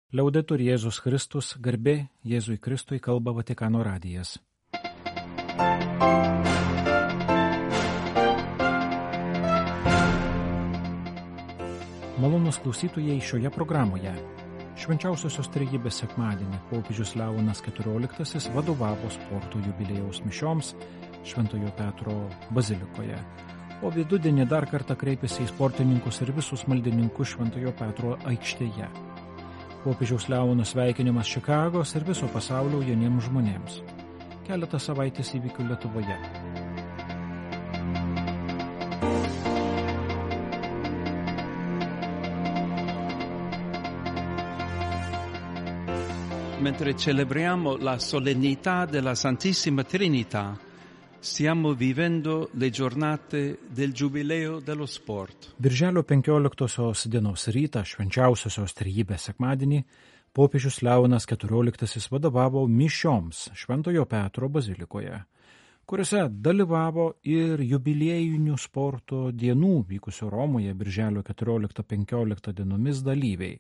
Liaudetur Jėzus Kristus, garbė Jėzui Kristui, kalba Vatikano radijas. Malonūs klausytojai, šioje programoje Švenčiausiosios Trejybės sekmadienį popiežius Leonas XIV vadovavo sporto jubiliejaus mišioms Šventojo Petro bazilikoje, o vidudienį dar kartą kreipėsi į sportininkus ir visus maldininkus Šventojo Petro aikštėje. Popiežiaus Leono sveikinimas Čikagos ir viso pasaulio jauniems žmonėms. Keletą savaitės įvykių Lietuvoje. Mentre celebriamo la solennità della Santissima Trinità, stiamo vivendo le giornate del Giubileo dello Sport. Birželio 15 dienos rytą, Švenčiausiosios Trejybės sekmadienį, popiežius Leonas XIV vadovavo mišioms Šventojo Petro bazilikoje, kuriuose dalyvavo ir jubiliejinių sporto dienų vykusio Romoje birželio 14-15 dienomis dalyviai.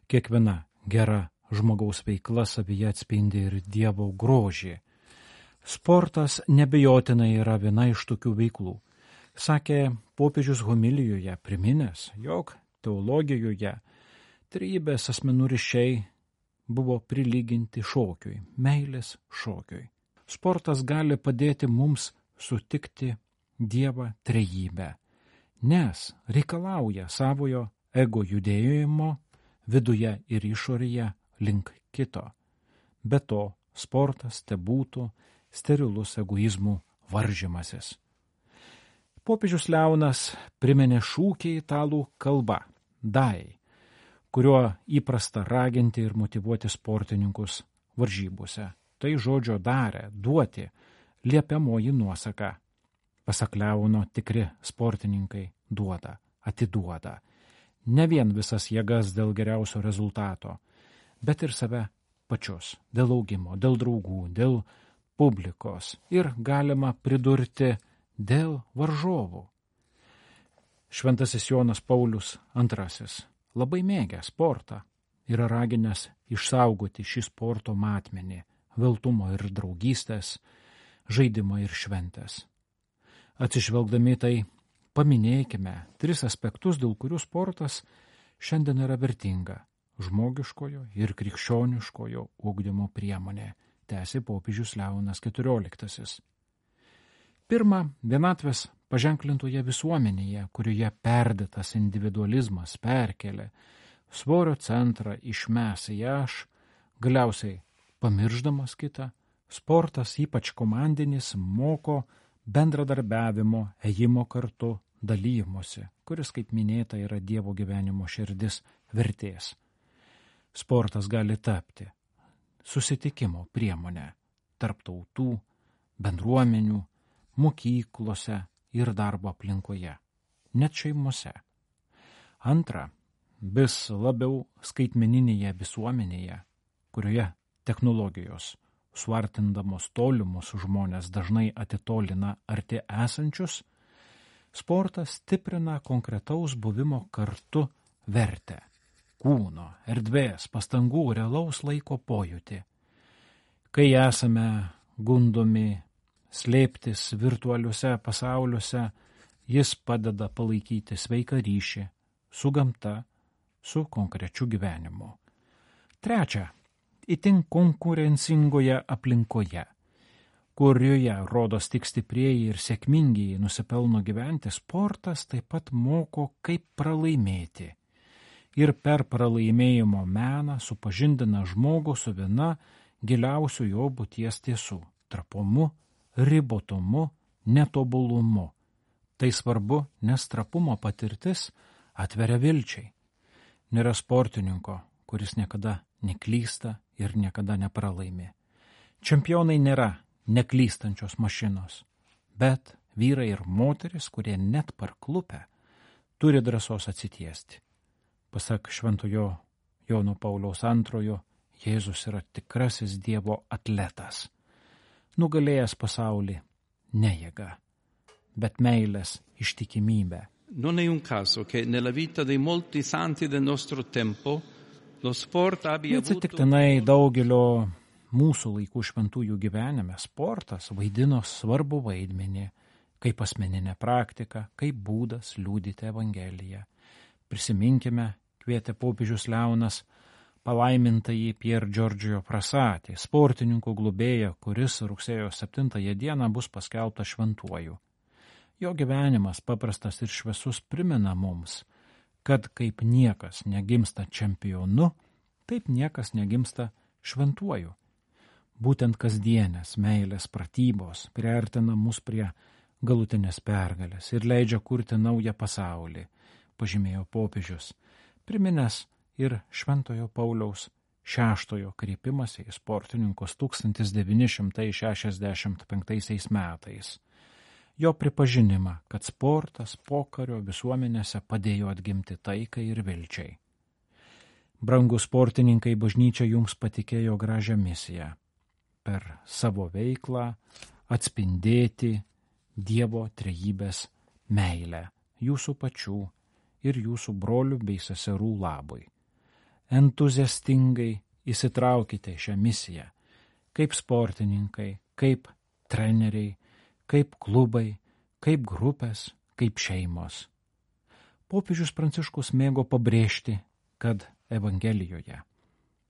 Kiekviena gera žmogaus veikla savyje atspindi ir Dievo grožį. Sportas nebejotinai yra viena iš tokių veiklų, sakė popiežius homilijoje, priminęs, jog teologijoje trejybės asmenų ryšiai buvo prilyginti šokiui, meilės šokiui. Sportas gali padėti mums sutikti Dievą trejybę, nes reikalauja savojo ego judėjimo viduje ir išorėje link kito. Be to, sportas tebūtų sterilus egoizmų varžymasis. Popiežius Leonas priminė šūkį italų kalba dai, kuriuo įprasta raginti ir motyvuoti sportininkus varžybose. Tai žodžio dare, duoti, liepiamoji nuosaka. Pasak Leono, tikri sportininkai duoda, atiduoda. Ne vien visas jėgas dėl geriausio rezultato, bet ir save pačius, dėl augimo, dėl draugų, dėl publikos ir galima pridurti dėl varžovų. Šventasis Jonas Paulius II, labai mėgęs sportą, yra raginęs išsaugoti šį sporto matmenį, veltumo ir draugystės, žaidimą ir šventės. Atsižvelgdami tai, paminėkime 3 aspektus, dėl kurių sportas šiandien yra vertinga – žmogiškojo ir krikščioniškojo ugdymo priemonė, tęsė popiežius Leonas XIV. Pirma, vienatvės paženklintoje visuomenėje, kurioje perdėtas individualizmas perkelia svorio centrą iš mes į aš, galiausiai pamirždamas kitą, sportas, ypač komandinis, moko bendradarbiavimo, ėjimo kartu, dalymosi, kuris, kaip minėta, yra Dievo gyvenimo širdis, vertės. Sportas gali tapti susitikimo priemonė tarp tautų, bendruomenių, mokyklose ir darbo aplinkoje, net šeimose. Antra, vis labiau skaitmeninėje visuomenėje, kurioje technologijos, suartindamos tolimus žmonės, dažnai atitolina arti esančius, sportas stiprina konkretaus buvimo kartu vertę. Kūno, erdvės, pastangų, realaus laiko pojūtį. Kai esame gundomi slėptis virtualiuose pasauliuose, jis padeda palaikyti sveiką ryšį su gamta, su konkrečiu gyvenimu. Trečia, itin konkurencingoje aplinkoje, kurioje rodos tik stiprieji ir sėkmingiai nusipelno gyventi, sportas taip pat moko, kaip pralaimėti. Ir per pralaimėjimo meną supažindina žmogų su viena giliausių jo būties tiesų – trapumu, ribotumu, netobulumu. Tai svarbu, nes trapumo patirtis atveria vilčiai. Nėra sportininko, kuris niekada neklysta ir niekada nepralaimi. Čempionai nėra neklystančios mašinos, bet vyrai ir moteris, kurie net parklupę, turi drąsos atsitiesti. Pasak Šventojo Jono Pauliaus II, Jėzus yra tikrasis Dievo atletas, nugalėjęs pasaulį ne jėga, bet meilės ištikimybę. Non è un caso che nella vita di molti santi del nostro tempo Lo sport abbia avuto... Neatsitiktinai daugelio mūsų laikų šventųjų gyvenime sportas vaidino svarbu vaidmenį, kaip asmeninė praktika, kaip būdas liudyti Evangeliją. Prisiminkime, kvietė popiežius Leonas, palaimintąjį Pier Giorgio Frassati, sportininkų globėją, kuris rugsėjo 7 dieną bus paskelbtas šventuoju. Jo gyvenimas paprastas ir šviesus primena mums, kad kaip niekas negimsta čempionu, taip niekas negimsta šventuoju. Būtent kasdienės meilės pratybos priartina mus prie galutinės pergalės ir leidžia kurti naują pasaulį, pažymėjo popiežius, priminęs ir Šventojo Pauliaus VI kreipimąsi į sportininkus 1965 metais. Jo pripažinimą, kad sportas pokario visuomenėse padėjo atgimti taikai ir vilčiai. Brangūs sportininkai, bažnyčia jums patikėjo gražią misiją – per savo veiklą atspindėti Dievo trejybės meilę jūsų pačių ir jūsų brolių bei seserų labui. Entuziastingai įsitraukite į šią misiją, kaip sportininkai, kaip treneriai, kaip klubai, kaip grupės, kaip šeimos. Popiežius Pranciškus mėgo pabrėžti, kad Evangelijoje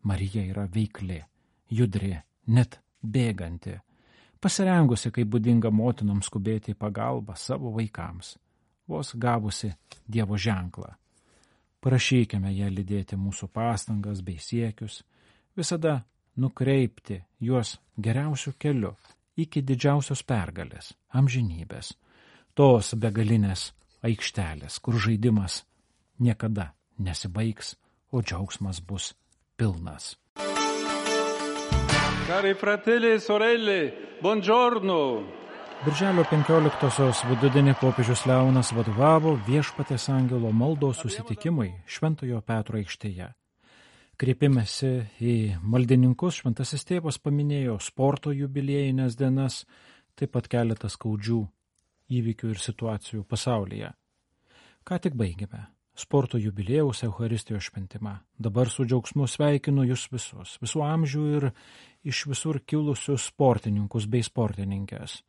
Marija yra veikli, judri, net bėganti, pasirengusi, kaip būdinga motinoms skubėti į pagalbą savo vaikams, vos gavusi Dievo ženklą. Prašykime ją lydėti mūsų pastangas bei siekius, visada nukreipti juos geriausiu keliu iki didžiausios pergalės, amžinybės, tos begalinės aikštelės, kur žaidimas niekada nesibaigs, o džiaugsmas bus pilnas. Cari fratelli e sorelle, buongiorno. Birželio 15-osios vidudienį popiežius Leonas vadovavo Viešpaties angelo maldos susitikimui Šventojo Petro aikštėje. Kreipimęsi į maldininkus, šventasis tėvas paminėjo sporto jubiliejines dienas, taip pat keletą skaudžių įvykių ir situacijų pasaulyje. Ką tik baigėme sporto jubiliejaus Eucharistijos šventimą. Dabar su džiaugsmu sveikinu jūs visus, visų amžių ir iš visur kilusius sportininkus bei sportininkės.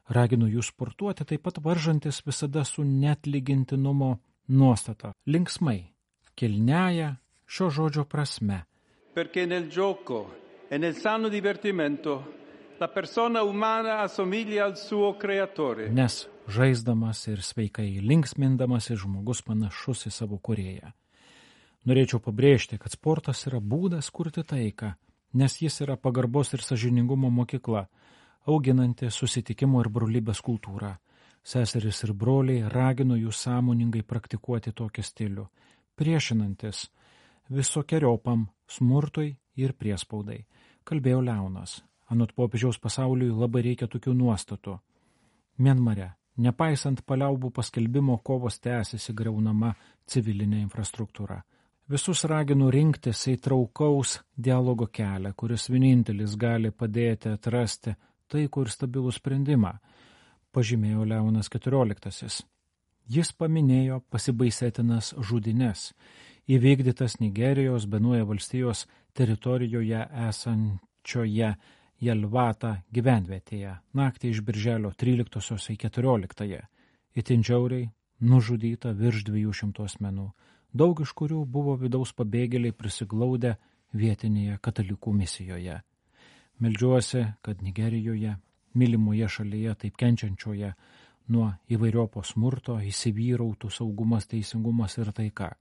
Raginu jūs sportuoti, taip pat varžantis visada su neatlygintinumo nuostata, linksmai, kilniaja šio žodžio prasme. Perché nel gioco e nel sano divertimento la persona umana assomiglia al suo creatore. Nes žaisdamas ir sveikai linksmindamas žmogus panašus į savo kūrėją. Norėčiau pabrėžti, kad sportas yra būdas kurti taiką, nes jis yra pagarbos ir sąžiningumo mokykla, auginanti susitikimo ir brolybės kultūrą. Seserys ir broliai, raginu jūs sąmoningai praktikuoti tokį stilių, priešinantis visokiojopam smurtui ir priespaudai, kalbėjo Leonas. Anot popiežiaus pasauliui labai reikia tokių nuostatų. Mianmare, nepaisant paliaubų paskelbimo, kovos tęsiasi griaunama civilinė infrastruktūra. Visus raginu rinktis įtraukaus dialogo kelią, kuris vienintelis gali padėti atrasti taikų ir stabilų sprendimą, pažymėjo Leonas XIV. Jis paminėjo pasibaisėtinas žudynes, įvykdytas Nigerijos Benuja valstijos teritorijoje esančioje Jelvata gyvenvietėje, naktį iš birželio 13 į 14, itin žiauriai nužudyta virš 200 asmenų, daug iš kurių buvo vidaus pabėgėliai prisiglaudę vietinėje katalikų misijoje. Meldžiuosi, kad Nigerijoje, mylimoje šalyje, taip kenčiančioje nuo įvairiopo smurto, įsivyrautų saugumas, teisingumas ir taika.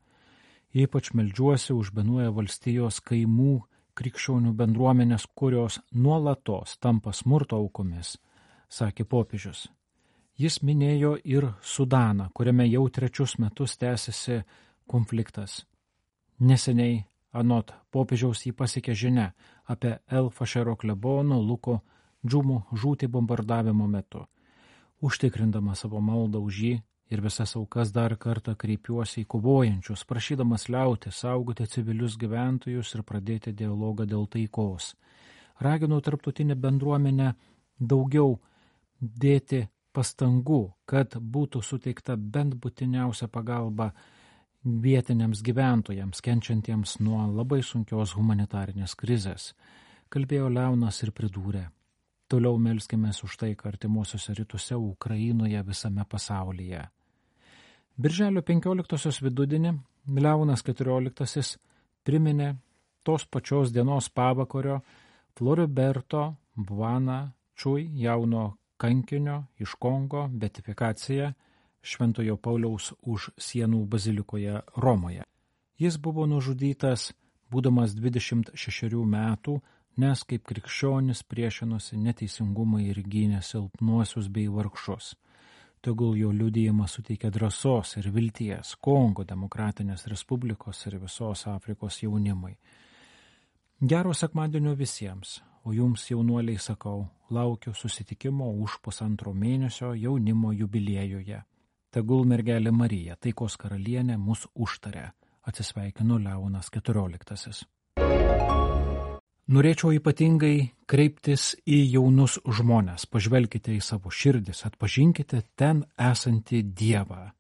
Ypač meldžiuosi už Benuja valstijos kaimų krikščionių bendruomenės, kurios nuolatos tampa smurto aukomis, sakė popiežius. Jis minėjo ir Sudaną, kuriame jau 3 metus tęsiasi konfliktas. Neseniai, anot popiežiaus, jį pasiekė žinia apie El Fašero klebono Luko Džumo žūtį bombardavimo metu. Užtikrindama savo maldą už jį ir visas aukas dar kartą kreipiuosi į kovojančius, prašydamas liauti saugoti civilius gyventojus ir pradėti dialogą dėl taikos. Raginu tarptautinę bendruomenę daugiau dėti pastangų, kad būtų suteikta bent būtiniausia pagalba vietiniams gyventojams, kenčiantiems nuo labai sunkios humanitarinės krizės, kalbėjo Leonas ir pridūrė: toliau melskimės už taiką artimuosiuose rytuose, Ukrainoje, visame pasaulyje. Birželio 15 vidudienį Leonas XIV priminė tos pačios dienos pavakario Floriberto Buana Čui, jauno kankinio iš Kongo, beatifikaciją Šventojo Pauliaus už sienų bazilikoje Romoje. Jis buvo nužudytas būdamas 26 metų, nes kaip krikščionis priešinosi neteisingumui ir gynė silpnuosius bei vargšus. Tegul jo liudijimas suteikia drąsos ir vilties Kongo Demokratinės Respublikos ir visos Afrikos jaunimui. Gero sekmadienio visiems, o jums, jaunuoliai, sakau, laukiu susitikimo už 1,5 mėnesio jaunimo jubiliejuje. Tegul mergelė Marija, taikos karalienė, mus užtaria. Atsisveikino Leonas XIV. Norėčiau ypatingai kreiptis į jaunus žmones. Pažvelkite į savo širdis, atpažinkite ten esantį Dievą.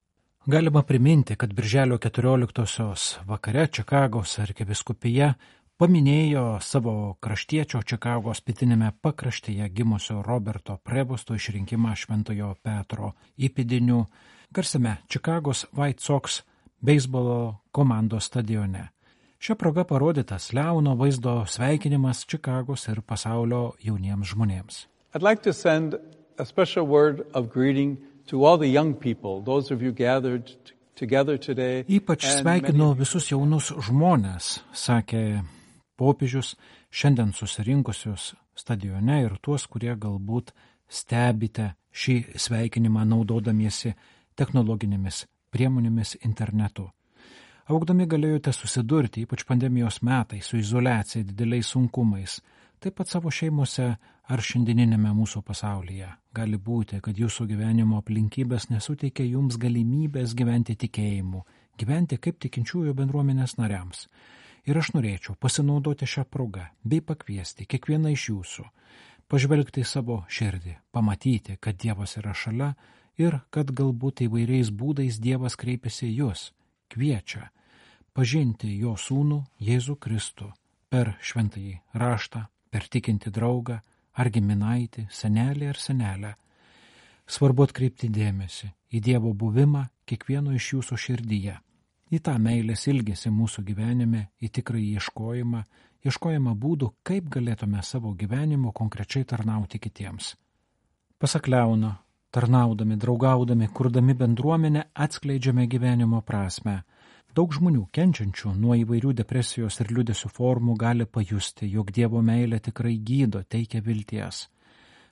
Galima priminti, kad Birželio 14 vakare Čikagos arkivyskupija paminėjo savo kraštiečio Čikagos pietinėme pakraštyje gimusio Roberto Prevosto išrinkimą Šventojo Petro įpėdiniu garsiame Čikagos White Sox beisbolo komandos stadione. Šia proga parodytas Leono vaizdo sveikinimas Čikagos ir pasaulio jauniems žmonėms. I'd like to send a special word of greeting to all the young people, those of you gathered together today. Ypač sveikinu visus jaunus žmonės, sakė popiežius, šiandien susirinkusius stadione ir tuos, kurie galbūt stebite šį sveikinimą naudodamiesi technologinėmis priemonėmis internetu. Augdami galėjote susidurti, ypač pandemijos metais, su izoliacija, dideliais sunkumais, taip pat savo šeimose ar šiandieninėme mūsų pasaulyje. Gali būti, kad jūsų gyvenimo aplinkybės nesuteikia jums galimybės gyventi tikėjimu, gyventi kaip tikinčiųjų bendruomenės nariams. Ir aš norėčiau pasinaudoti šią progą bei pakviesti kiekvieną iš jūsų, pažvelgti į savo širdį, pamatyti, kad Dievas yra šalia ir kad galbūt įvairiais būdais Dievas kreipiasi į jūs, kviečia pažinti jo sūnų Jėzų Kristų per šventąjį raštą, per tikintį draugą ar giminaitį, senelį ar senelę. Svarbu atkreipti dėmesį į Dievo buvimą kiekvieno iš jūsų širdyje, į tą meilės ilgesį mūsų gyvenime, į tikrąjį ieškojimą būdų, kaip galėtume savo gyvenimu konkrečiai tarnauti kitiems. Pasak Leono, tarnaudami, draugaudami, kurdami bendruomenę, atskleidžiame gyvenimo prasmę. Daug žmonių kenčiančių nuo įvairių depresijos ir liūdesio formų gali pajusti, jog Dievo meilė tikrai gydo, teikia vilties.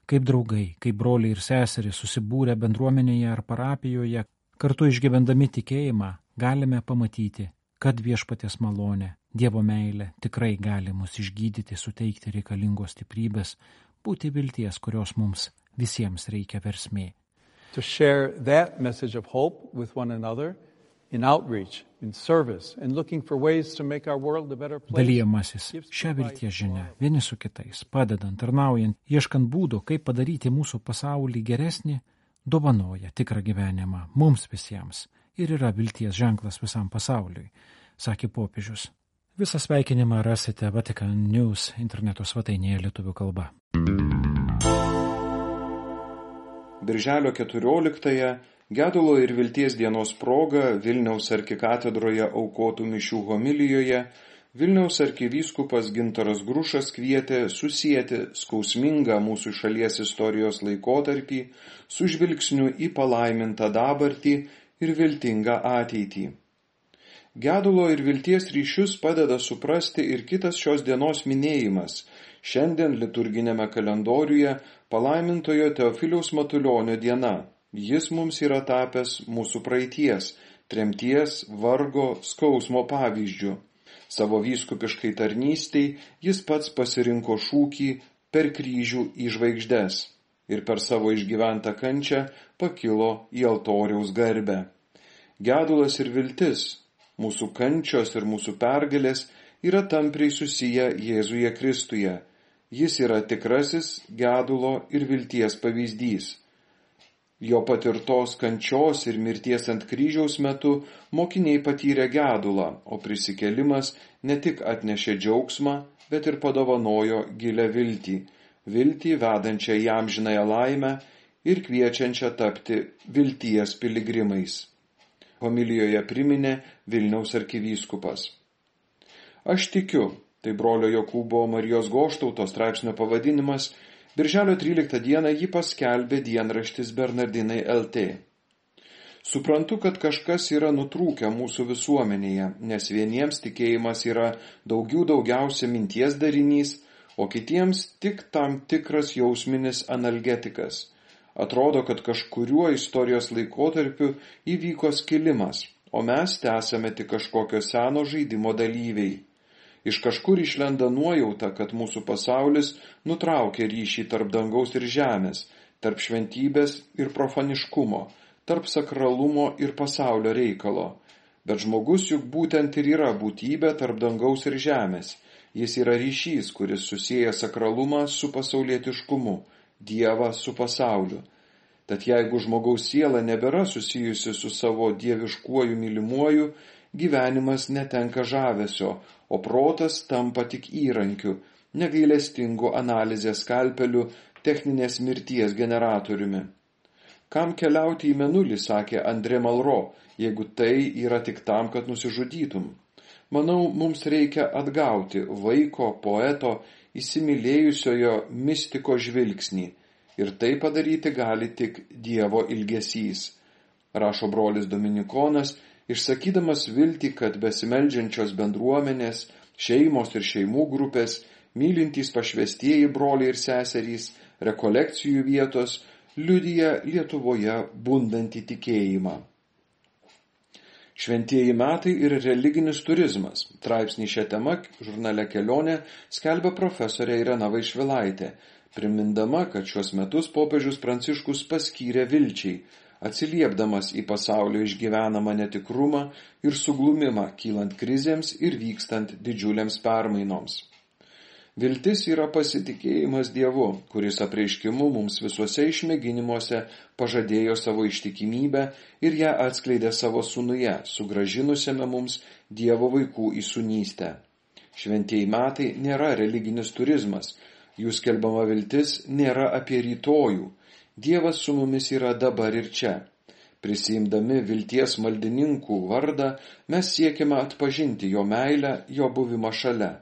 Kaip draugai, kaip broliai ir seserys susibūrę bendruomenėje ar parapijoje, kartu išgyvendami tikėjimą, galime pamatyti, kad Viešpaties malonė, Dievo meilė tikrai gali mus išgydyti, suteikti reikalingos stiprybės, būti vilties, kurios mums visiems reikia versmė. To share that message of hope with one another in outreach, in service, and looking for ways to make our world a better place. Dalijamasis šią vilties žinią vieni su kitais, padedant, tarnaujant, ieškant būdų, kaip padaryti mūsų pasaulį geresnį, dovanoja tikrą gyvenimą mums visiems ir yra vilties ženklas visam pasauliui, sakė popiežius. Visą sveikinimą rasite Vatican News interneto svetainėje lietuvių kalba. Birželio 14-ąją Gedulo ir vilties dienos proga Vilniaus arkikatedroje aukotų mišių homilijoje Vilniaus arkivyskupas Gintaras Grušas kvietė susieti skausmingą mūsų šalies istorijos laikotarpį su žvilgsniu į palaimintą dabartį ir viltingą ateitį. Gedulo ir vilties ryšius padeda suprasti ir kitas šios dienos minėjimas. Šiandien liturginėme kalendoriuje palaimintojo Teofiliaus Matulionio diena. Jis mums yra tapęs mūsų praeities, tremties, vargo, skausmo pavyzdžių. Savo vyskupiškai tarnystei jis pats pasirinko šūkį per kryžių į žvaigždes ir per savo išgyventą kančią pakilo į altoriaus garbę. Gedulas ir viltis, mūsų kančios ir mūsų pergalės yra tampriai susiję Jėzuje Kristuje. Jis yra tikrasis gedulo ir vilties pavyzdys. Jo patirtos kančios ir mirties ant kryžiaus metu mokiniai patyrė gedulą, o prisikėlimas ne tik atnešė džiaugsmą, bet ir padovanojo gilią viltį vedančią į amžinąją laimę ir kviečiančią tapti vilties piligrimais. Homilijoje priminė Vilniaus arkivyskupas. Aš tikiu, tai brolio Jokūbo Marijos Goštauto straipsnio pavadinimas, Birželio 13 dieną jį paskelbė dienraštis Bernardinai LT. Suprantu, kad kažkas yra nutrūkę mūsų visuomenėje, nes vieniems tikėjimas yra daugiausia minties darinys, o kitiems tik tam tikras jausminis analgetikas. Atrodo, kad kažkuriuo istorijos laikotarpiu įvyko skilimas, o mes tęsame tik kažkokio seno žaidimo dalyviai. Iš kažkur išlenda nuojauta, kad mūsų pasaulis nutraukė ryšį tarp dangaus ir žemės, tarp šventybės ir profaniškumo, tarp sakralumo ir pasaulio reikalo. Bet žmogus juk būtent ir yra būtybė tarp dangaus ir žemės. Jis yra ryšys, kuris susieja sakralumą su pasaulietiškumu, Dievą su pasauliu. Tad jeigu žmogaus siela nebėra susijusi su savo dieviškuoju mylimuoju, gyvenimas netenka žavesio, o protas tampa tik įrankiu, negailestingu analizės skalpeliu, techninės mirties generatoriumi. Kam keliauti į Mėnulį, sakė Andrė Malro, jeigu tai yra tik tam, kad nusižudytum. Manau, mums reikia atgauti vaiko, poeto, įsimylėjusiojo mistiko žvilgsnį, ir tai padaryti gali tik Dievo ilgesys. Rašo brolis Dominikonas, išsakydamas viltį, kad besimeldžiančios bendruomenės, šeimos ir šeimų grupės, mylintys pašvestieji broliai ir seserys, rekolekcijų vietos, liudija Lietuvoje bundantį tikėjimą. Šventieji metai ir religinis turizmas. Straipsnį šią temą žurnale Kelionė skelbia profesorė Irena Vaišvilaitė, primindama, kad šiuos metus popiežius Pranciškus paskyrė vilčiai, atsiliepdamas į pasaulio išgyvenamą netikrumą ir suglumimą, kylant krizėms ir vykstant didžiuliams permainoms. Viltis yra pasitikėjimas Dievu, kuris apreiškimu mums visuose išmėginimuose pažadėjo savo ištikimybę ir ją atskleidė savo sūnuje, sugrąžinusiame mums Dievo vaikų įsūnystę. Šventieji metai nėra religinis turizmas, jų skelbiama viltis nėra apie rytojų. Dievas su mumis yra dabar ir čia. Prisiimdami vilties maldininkų vardą, mes siekime atpažinti jo meilę, jo buvimą šalia.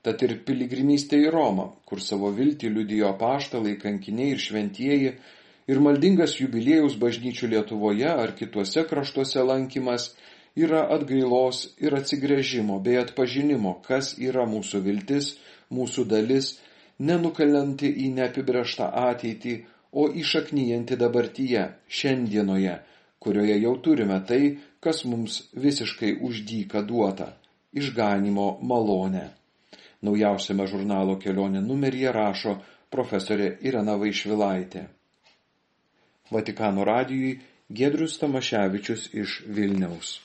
Tad ir piligrimystė į Romą, kur savo viltį liudijo apaštalai, kankiniai ir šventieji, ir maldingas jubiliejaus bažnyčių Lietuvoje ar kituose kraštuose lankymas yra atgailos ir atsigręžimo bei atpažinimo, kas yra mūsų viltis, mūsų dalis, nenukalanti į neapibrėžtą ateitį, o įšaknyjanti dabartyje, šiandienoje, kurioje jau turime tai, kas mums visiškai už dyką duota – išganymo malonę. Naujausiame žurnalo Kelionė numeryje rašo profesorė Irena Vaišvilaitė. Vatikano radijui Giedrius Tamaševičius iš Vilniaus.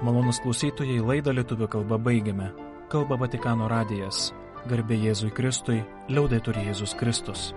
Malonūs klausytojai, laidą lietuvių kalba baigiame. Kalba Vatikano radijas. Garbė Jėzui Kristui, liaudetur Jėzus Kristus.